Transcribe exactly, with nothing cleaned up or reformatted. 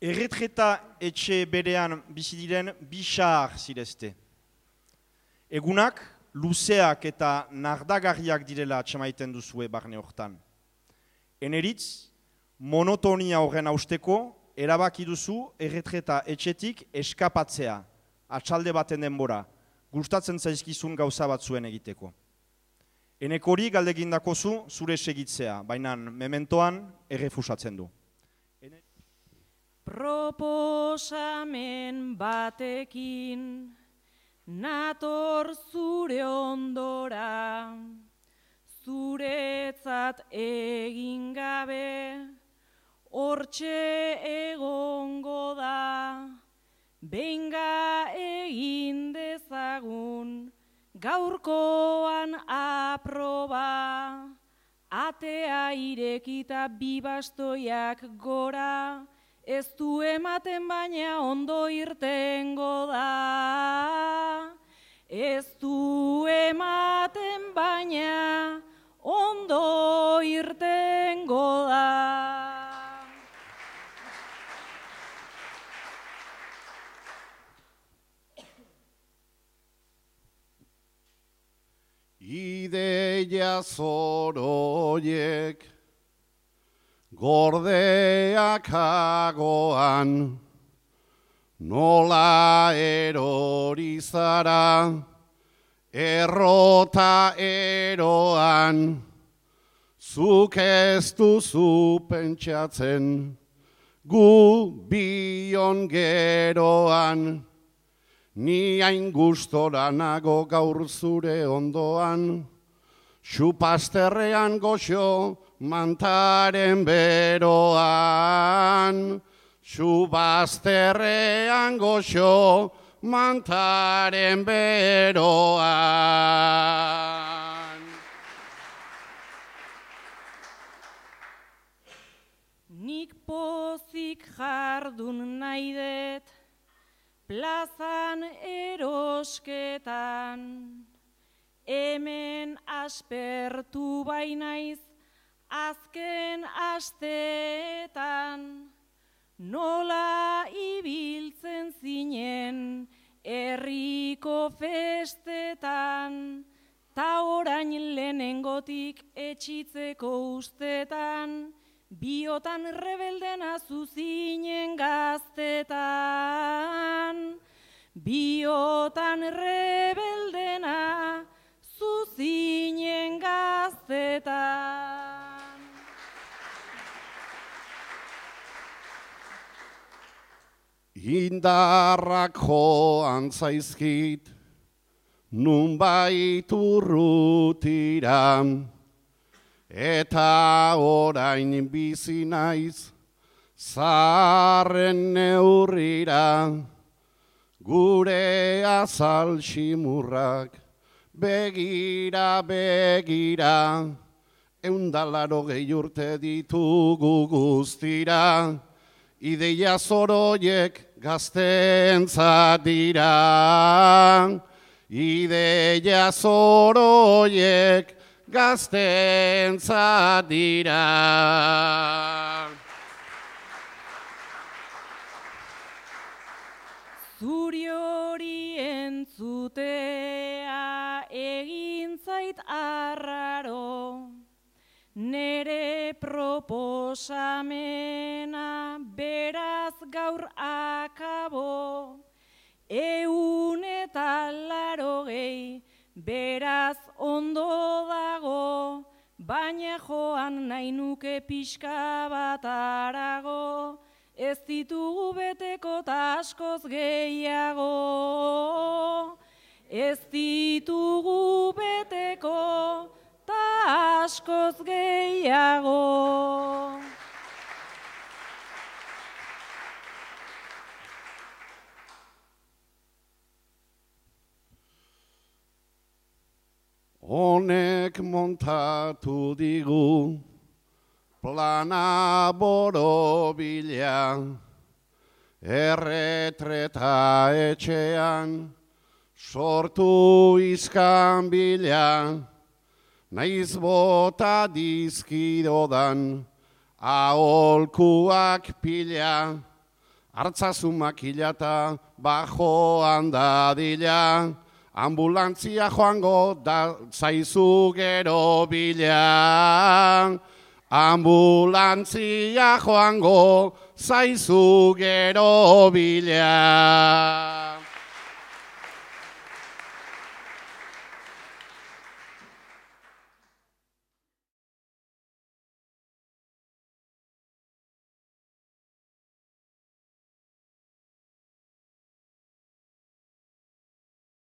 Erretreta etxe berean bizi diren bi xahar zirezte. Egunak, luzeak eta nardagarriak direla atxamaiten duzue barne hortan. Eneritz, monotonia horren hausteko, erabaki duzu erretreta etxetik eskapatzea, atxalde baten denbora, gustatzen zaizkizun gauza batzuen egiteko. Enekori galdegindakozu zure segitzea, baina mementoan errefusatzen du. Proposamen batekin nator zure ondora, zuretzat egin gabe, hortxe egongo da, benga egin dezagun, gaurkoan aproba, atea irekita bi bastoiak gora, ez du ematen baina ondo irtengo da. Ez du ematen baina ondo irtengo da. Ideia zoroiek gordeak agoan, nola erori zara, errota eroan, zuk ez duzu pentsatzen, gu bion geroan, ni hain gustora nago gaur zure ondoan, xupasterrean goxo, mantaren beroan, xubazterrean goxo, mantaren beroan. Nik pozik jardun nahi dut, plazan erosketan, hemen aspertu bainaiz, azken asteetan, nola ibiltzen zinen herriko festetan, ta orain lehenengotik etxitzeko ustetan, biotan rebeldena zuzinen gaztetan, biotan rebeldena zuzinen gaztetan. Indarrak joan zaizkit, nunbait urrutira, eta orain bizi naiz, zaharren neurrira, gure azal ximurrak, begira, begira, eundalaro gehi urte ditugu guztira, ideia zoroiek gaztentzat dira, ideia zoroiek gaztentzat dira. Zuri hori entzutea egin zait arraro, nere proposamena beraz gaur akabo, eun eta larogei beraz ondo dago, baina joan nahi nuke pixka bat arago, ez ditugu beteko ta askoz gehiago, ez ditugu beteko ta askoz gehiago. Honek montatu digu plana borobila, erretreta etxean sortu izkan bila, naiz bota dizkidodan aholkuak pila, hartzazu makilata bajoan dadila, ambulantzia joango da zaizu gero bila. Ambulantzia joango zaizu gero bila.